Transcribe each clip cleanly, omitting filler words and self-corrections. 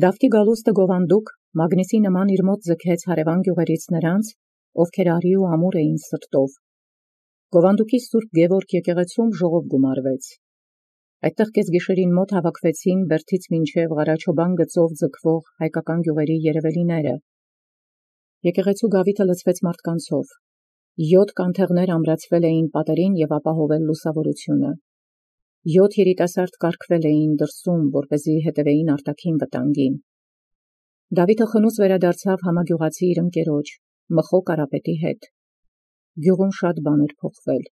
Դավթի գալուստը գովանդուկ Մագնիսի նման իր մոտ ձգեց հարևան գյուղերից նրանց, ովքեր արի ու ամուր էին սրտով։ Գովանդուկի Սուրբ Գևորգ եկեղեցում ժողով գումարվեց։ Այդտեղ կեսգիշերին մոտ հավաքվեցին Բերդից մինչև Ղարաչոբան գծով ձգվող հայկական գյուղերի երևելիները։ Եկեղեցու գավիթը լցվեց մարդկանցով։ 7 կանթեղներ ամրացվել էին պատերին և ապահովել լուսավորությունը։ 7 երիտասարդ կարգվել էին դրսում, որպեսզի հետևեին արտաքին վտանգին։ Դավիթը խնուց վերադարձավ համագյուղացի իր ընկերոջ, Մխո Կարապետի հետ։ Գյուղում շատ բան էր փոխվել։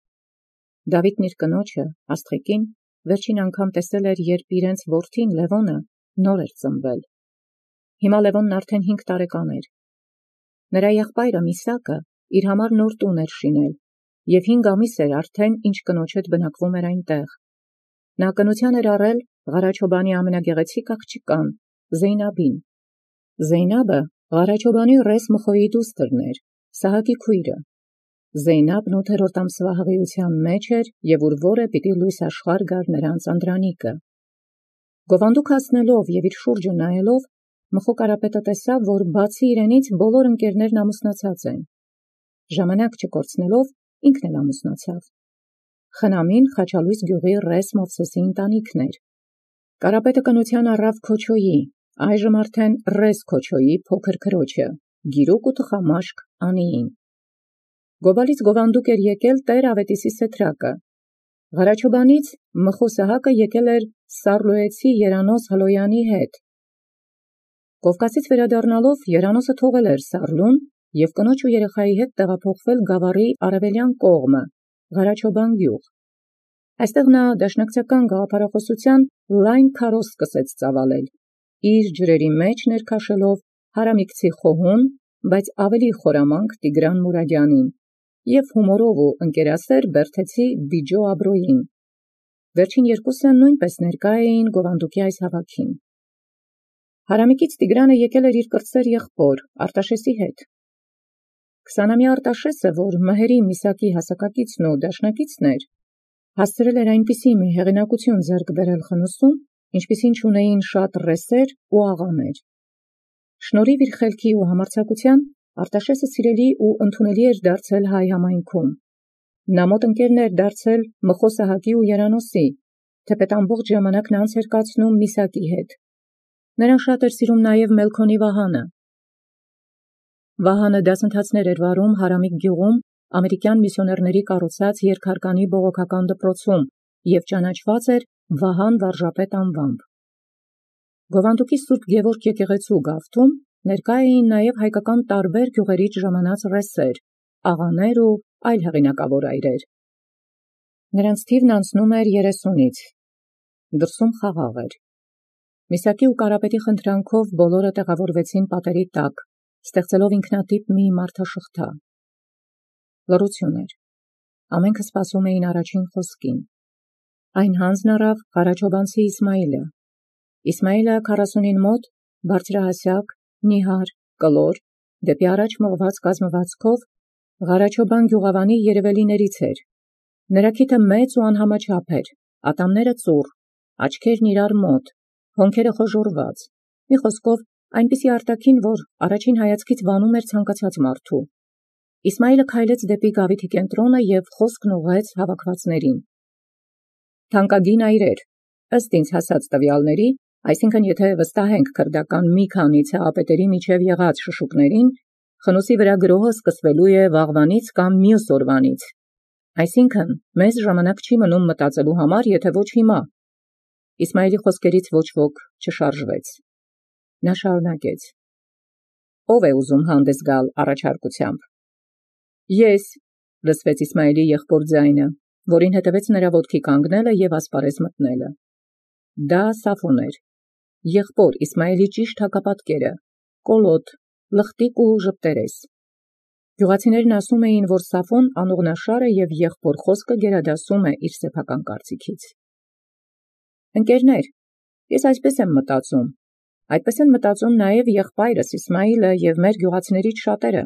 Դավիթն իր կնոջը, Աստղիկին, վերջին անգամ տեսել էր, երբ իրենց որդին Լևոնը նոր էր ծնվել։ Հիմա Լևոնն արդեն 5 տարեկան էր։ Նրա եղբայրը Միսակը իր համար նոր տուն էր շինել, և 5 ամիս էր արդեն, ինչ կնոջ հետ բնակվում էր այնտեղ։ Նա կնության էր առել Ղարաչոբանի ամենագեղեցիկ աղջկան, Զեյնաբին։ Զեյնաբը Ղարաչոբանի ռես Մխոյի դուստրն էր, Սահակի քույրը։ Զեյնաբն 8-րդ ամսվա հղիության մեջ էր և ուրվորը պիտի լույս աշխարհ գար նրանց անդրանիկը։ Գովանդուկ հասնելով և իր շուրջը նայելով, Մխո Կարապետը տեսավ, որ բացի իրենից բոլոր ընկերներն ամուսնացած են։ Ժամանակ չկորցնելով ինքն էլ ամուսնացավ։ Խնամին Խաչալույս գյուղի ռես Մովսեսի ընտանիքն էր։ Կարապետը կնության առավ Քոչոյի, այժմ արդեն ռես Քոչոյի փոքր քրոջը, Գիրուկ ու թխամաշկ Անիին։ Գոբալից գովանդուկ էր եկել Տեր Ավետիսի սեթրակը։ Ղարաչոբանից Մխո Սահակը եկել էր Սառլոյեցի Երանոս Հլոյանի հետ։ Կովկասից վերադառնալով Երանոսը թողել էր Սառլուն և կնոջ ու երեխայի հետ տեղափոխվել Գավառի արևելյան կողմը, Ղարաչոբան գյուղ։ Այստեղ նա դաշնակցական գաղափարախոսության լայն քարոզ սկսեց ծավալել, իր ջրերի մեջ ներքաշելով հարամիկցի խոհուն, բայց ավելի խորամանկ Տիգրան Մուրադյանին և հումորով ու ընկերասեր Բերդեցի Բիջո Աբրոյին։ Վերջին երկուսը նույնպես ներկա էին գովանդուկի այս հավաքին։ Հարամիկից Տիգրանը եկել էր իր կրտսեր եղբոր Արտաշեսի հետ։ 20-ամյա Արտաշեսը, որ Մհերի Միսակի հասակակիցն ու դաշնակիցն էր, հասցրել էր այնպիսի մի հեղինակություն ձեռք բերել խնուսում, ինչպիսին չունեին շատ ռեսեր ու աղաներ։ Շնորհիվ իր խելքի ու համարձակության Արտաշեսը սիրելի ու ընդունելի էր դարձել հայ համայնքում։ Նա մոտ ընկերն էր դարձել Մխո Սահակի ու Երանոսի, թեպետ ամբողջ ժամանակն անց էր կացնում Միսակի հետ։ Նրան շատ էր սիրում նաև Մելքոնի Վահանը։ Վահանը դասընթացներ էր վարում Հարամիկ գյուղում ամերիկյան միսիոներների կառուցած երկհարկանի բողոքական դպրոցում և ճանաչված էր Վահան վարժապետ անվամբ։ Գովանդուկի Սուրբ Գևորգ եկեղեցու գավթում ներկա էին նաև հայկական տարբեր գյուղերից ժամանած ռեսեր, աղաներ ու այլ հեղինակավոր այրեր։ Նրանց թիվն անցնում էր 30-ից։ Դրսում խաղաղ էր։ Միսակի ու Կարապետի խնդրանքով բոլորը տեղավորվեցին պատերի տակ, ստեղծելով ինքնատիպ մի մարդաշղթա։ Լռություն էր։ Ամենքը սպասում էին առաջին խոսքին։ Այն հանձն առավ Ղարաչոբանցի Իսմայիլը։ Իսմայիլը 40-ին մոտ, բարձրահասակ, նիհար, կլոր, դեպի առաջ մղված կազմվածքով Ղարաչոբան գյուղավանի երևելիներից էր։ Նրա քիթը մեծ ու անհամաչափ էր, ատամները ծուռ, աչքերն իրար մոտ, հոնքերը խոժոռված, մի խոսքով այնպիսի արտաքին, որ առաջին հայացքից վանում էր ցանկացած մարդու։ Իսմայիլը քայլեց դեպի գավիթի կենտրոնը և խոսքն ուղղեց հավաքվածներին։ Թանկագին այրեր, ըստ ինձ հասած տվյալների, այսինքն եթե վստահենք քրդական մի քանի ցեղապետերի միջև եղած շշուկներին, խնուսի վրա գրոհը սկսվելու է վաղվանից կամ մյուս օրվանից։ Այսինքն մեզ ժամանակ չի մնում մտածելու համար, եթե ոչ հիմա։ Իսմայիլի խոսքերից ոչ ոք չշարժվեց։ Նա շարունակեց. Ո՞վ է ուզում հանդես գալ առաջարկությամբ։ Ես, լսվեց Իսմայիլի եղբոր ձայնը, որին հետևեց նրա ոտքի կանգնելը և ասպարեզ մտնելը։ Դա Սաֆոն էր, եղբոր Իսմայիլի ճիշտ հակապատկերը, կոլոտ, լխտիկ ու ժպտերես։ Գյուղացիներն ասում էին, որ Սաֆոն անուղնաշար է և եղբոր խոսքը գերադասում է իր սեփական կարծիքից։ Ընկերներ, ես այսպես եմ մտածում։ Այդպես են մտածում նաև եղբայրս Իսմայիլը և մեր գյուղացիներից շատերը։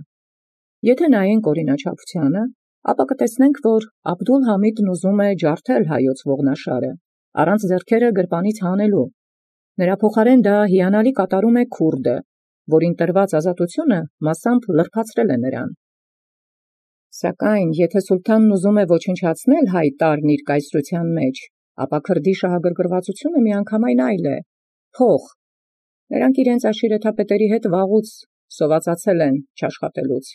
Եթե նայենք օրինաչափությանը, ապա կտեսնենք, որ Աբդուլ-Համիդն ուզում է ջարդել հայոց ողնաշարը, առանց ձեռքերը գրպանից հանելու։ Նրա փոխարեն դա հիանալի կատարում է քուրդը, որին տրված ազատությունը մասամբ լրբացրել է նրան։ Սակայն եթե սուլթանն ուզում է ոչնչացնել հայ տարրն իր կայսրության մեջ, ապա քրդի շահագրգռվածությունը միանգամայն այլ է՝ փող։ Նրանք իրենց աշիրեթապետերի հետ վաղուց սովածացել են չաշխատելուց,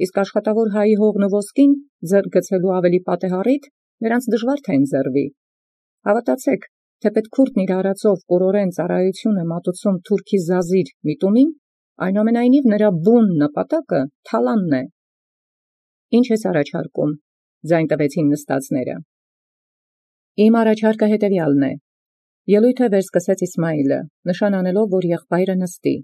իսկ աշխատավոր հայի հողն ու ոսկին ձեռք գցելու ավելի պատեհառիթ նրանց դժվար թե ընձեռվի։ Հավատացեք, թեպետ քուրդն իր արածով կորորեն ծառայություն է մատուցում թուրքի զազիր միտումին, այնուամենայնիվ նրա բուն նպատակը թալանն է։ Ինչ ես առաջարկում, ձայն տվեցին նստածները։ Իմ առաջարկը հետևյալն է։ Ելույթը վերսկսեց Իսմայիլը, նշան անելով, որ եղբայրը նստի։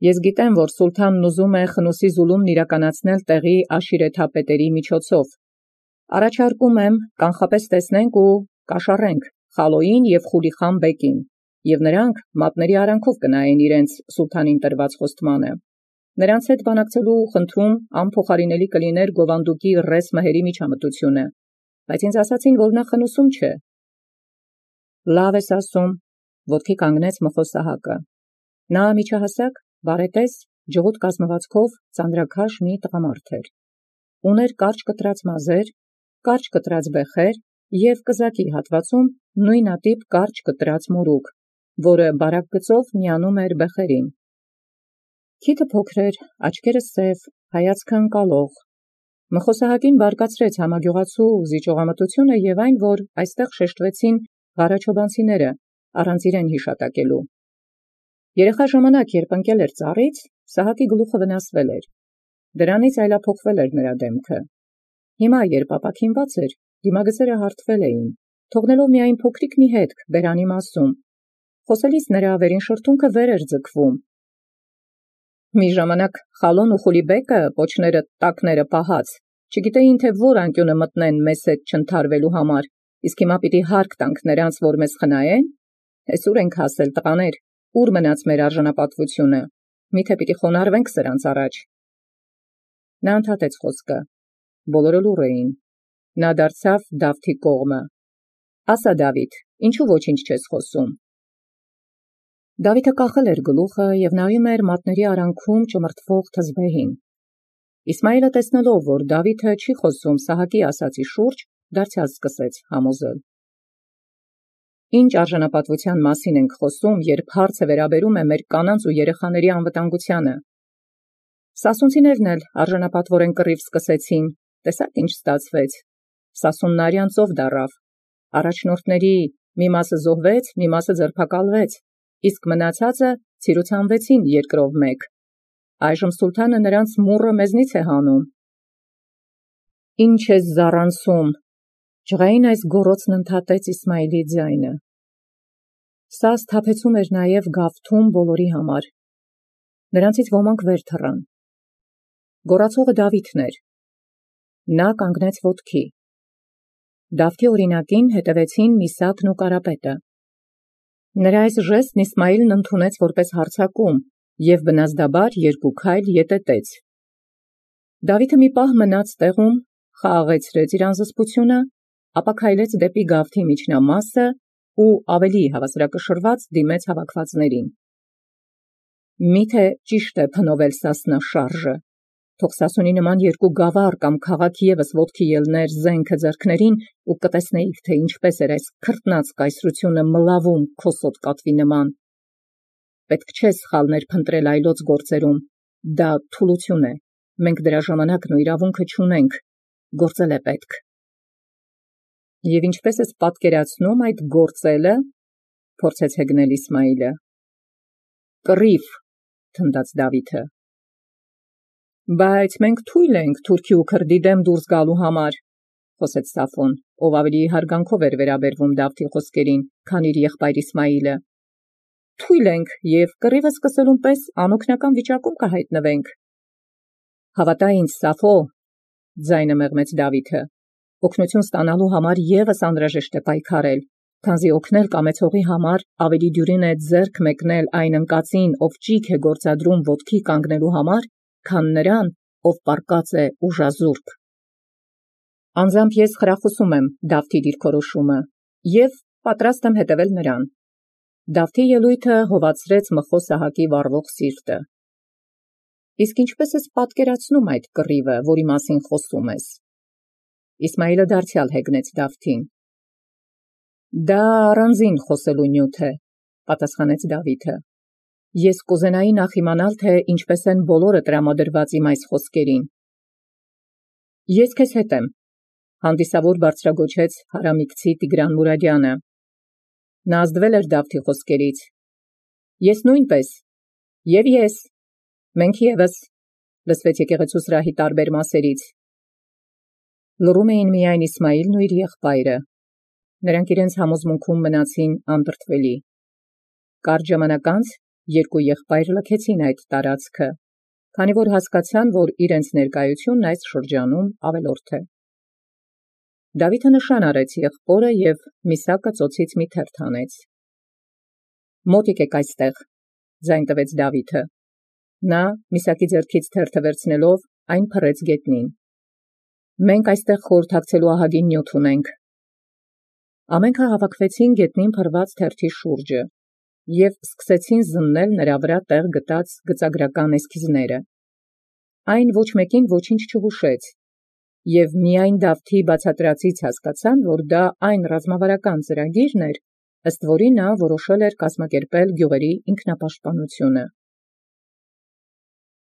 Ես գիտեմ, որ սուլթանն ուզում է խնուսի զուլումն իրականացնել տեղի աշիրեթապետերի միջոցով։ Առաջարկում եմ կանխապես տեսնենք ու կաշառենք Խալոյին և Խուլիխան բեկին, և նրանք մատների արանքով կնայեն իրենց սուլթանին տրված խոստմանը։ Նրանց հետ բանակցելու խնդրում անփոխարինելի կլիներ գովանդուկի ռես մհերի միջամտությունը, բայց ինձ ասացին, որ նա խնուսում չէ։ Լավ ես ասում, ոտքի կանգնեց Մխոսահակը։ Նա միջահասակ, բարետես, ջղուտ կազմվածքով ծանրաքաշ մի տղամարդ էր։ Ուներ կարճ կտրած մազեր, կարճ կտրած բեխեր և կզակի հատվածում նույնատիպ կարճ կտրած մորուք, որը բարակ գծով միանում էր բեխերին։ Քիթը փոքր էր, աչքերը սև, հայացքը ընկալող։ Մխոսահակին բարկացրեց համագյուղացու զիջողամտությունը և այն, որ այստեղ շեշտվեցին ղարաչոբանցիները, առանց իրեն հիշատակելու։ Երեխա ժամանակ, երբ ընկել էր ծառից, Սահակի գլուխը վնասվել էր։ Դրանից այլափոխվել էր նրա դեմքը։ Հիմա, երբ ապաքինված էր, դիմագծերը հարթվել էին, թողնելով միայն փոքրիկ մի հետք բերանի մասում։ Խոսելիս նրա վերին շրթունքը վեր էր ձգվում։ Մի ժամանակ Խալոն ու Խուլիբեկը, պոչները տակները պահած, չգիտեին, թե որ անկյունը մտնեն մեզ հետ չընդհարվելու համար, իսկ հիմա պիտի հարկ տանք նրանց, որ մեզ խնայեն։ Հես ուր ենք հասել, տղաներ, ուր մնաց մեր արժանապատվությունը, միթե պիտի խոնարհվենք սրանց առաջ։ Նա ընդհատեց խոսքը։ Բոլորը լուռ էին։ Նա դարձավ Դավթի կողմը։ Ասա, Դավիթ, ինչու ոչինչ չես խոսում։ Դավիթը կախել էր գլուխը և նայում էր մատների արանքում ճմրթվող թզբեհին։ Իսմայիլը տեսնելով, որ Դավիթը չի խոսում Սահակի ասացի շուրջ, դարձյալ սկսեց համոզել։ Ինչ արժանապատվության մասին ենք խոսում, երբ հարցը վերաբերում է մեր կանանց ու երեխաների անվտանգությանը։ Սասունցիներն էլ արժանապատվորեն կռիվ սկսեցին, տեսաք ինչ ստացվեց։ Սասունն արյան ծով դառավ։ Առաջնորդների մի մասը զոհվեց, մի մասը ձերբակալվեց, իսկ մնացածը ցիրուցանվեցին երկրով մեկ։ Այժմ սուլթանը նրանց մուրը մեզնից է հանում։ Ինչ ես զառանցում, ջղային այս գոռոցն ընդհատեց Իսմայիլի ձայնը։ Սա սթափեցում էր նաև գավթում բոլորի համար։ Նրանցից ոմանք վեր թռան։ Գոռացողը Դավիթն էր։ Նա կանգնեց ոտքի։ Դավթի օրինակին հետևեցին Միսակն ու Կարապետը։ Նրա այս ժեստն Իսմայիլն ընդունեց որպես հարձակում և բնազդաբար երկու քայլ ետետեց։ Դավիթը մի պահ մնաց տեղում, խաղաղեցրեց իր անզսպությունը, ապա քայլեց դեպի գավթի միջնամասը ու ավելի հավասարակշռված դիմեց հավաքվածներին։ Միթե ճիշտ է փնովել Սասնա շարժը, թող Սասունի նման երկու գավառ կամ քաղաք ևս ոտքի ելներ զենքը ձեռքներին ու կտեսնեիք, թե ինչպես էր այս քրտնած կայսրությունը մլավում քո սոտկատվի նման։ Պետք չէ սխալներ փնտրել այլոց գործերում, դա թուլություն է, մենք դրա ժամանակն ու իրավունքը չունենք, գործել է պետք։ Եվ ինչպես ես պատկերացնում այդ գործելը, փորձեց հեգնել Իսմայիլը։ Կռիվ, թնդաց Դավիթը։ Բայց մենք թույլ ենք թուրքի ու քրդի դեմ դուրս գալու համար, խոսեց Սաֆոն, ով ավելի հարգանքով էր վերաբերվում Դավթի խոսքերին, քան իր եղբայր Իսմայիլը։ Թույլ ենք և կռիվը սկսելուն պես անօգնական վիճակում կհայտնվենք։ Հավատա ինձ, Սաֆո, ձայնը մեղմեց Դավիթը, օգնություն ստանալու համար ևս անհրաժեշտ է պայքարել, քանզի օգնել կամեցողի համար ավելի դյուրին է ձեռք մեկնել այն ընկածին, ով ճիգ է գործադրում ոտքի կանգնելու համար, քան նրան, ով պառկած է ուժազուրկ։ Անձամբ ես խրախուսում եմ Դավթի դիրքորոշումը և պատրաստ եմ հետևել նրան։ Դավթի ելույթը հովացրեց Մխո Սահակի վառվող սիրտը։ Իսկ ինչպես ես պատկերացնում այդ կռիվը, որի մասին խոսում ես։ Իսմայիլը դարձյալ հեգնեց Դավթին։ Դա առանձին խոսելու նյութ է, պատասխանեց Դավիթը։ Ես կուզենայի նախ իմանալ, թե ինչպես են բոլորը տրամադրված իմ այս խոսքերին։ Ես քեզ հետ եմ, հանդիսավոր բարձրագոչեց հարամիկցի Տիգրան Մուրադյանը։ Նա ազդվել էր Դավթի խոսքերից։ Ես նույնպես, և ես, մենք ևս, լսվեց եկեղեցու սրահի տարբեր մասերից։ Լռում էին միայն Իսմայիլն ու իր եղբայրը։ Նրանք իրենց համոզմունքում մնացին անդրդվելի։ Կարճ ժամանակ անց երկու եղբայր լքեցին այդ տարածքը, քանի որ հասկացան, որ իրենց ներկայությունն այս շրջանում ավելորդ է։ Դավիթը նշան արեց եղբորը և միսակը ծոցից մի թերթ հանեց։ Մոտ եկեք այստեղ, ձայն տվեց Դավիթը։ Նա միսակի ձեռքից թերթը վերցնելով այն փռեց գետնին։ Մենք այստեղ խորհրդակցելու ահագին նյութ ունենք։ Ամենքը հավաքվեցին գետնին փռված թերթի շուրջը և սկսեցին զննել նրա վրա տեղ գտած գծագրական էսքիզները։ Այն ոչ մեկին ոչինչ չհուշեց, և միայն Դավթի բացատրածից հասկացան, որ դա այն ռազմավարական ծրագիրն էր, ըստ որի նա որոշել էր կազմակերպել գյուղերի ինքնապաշտպանությունը։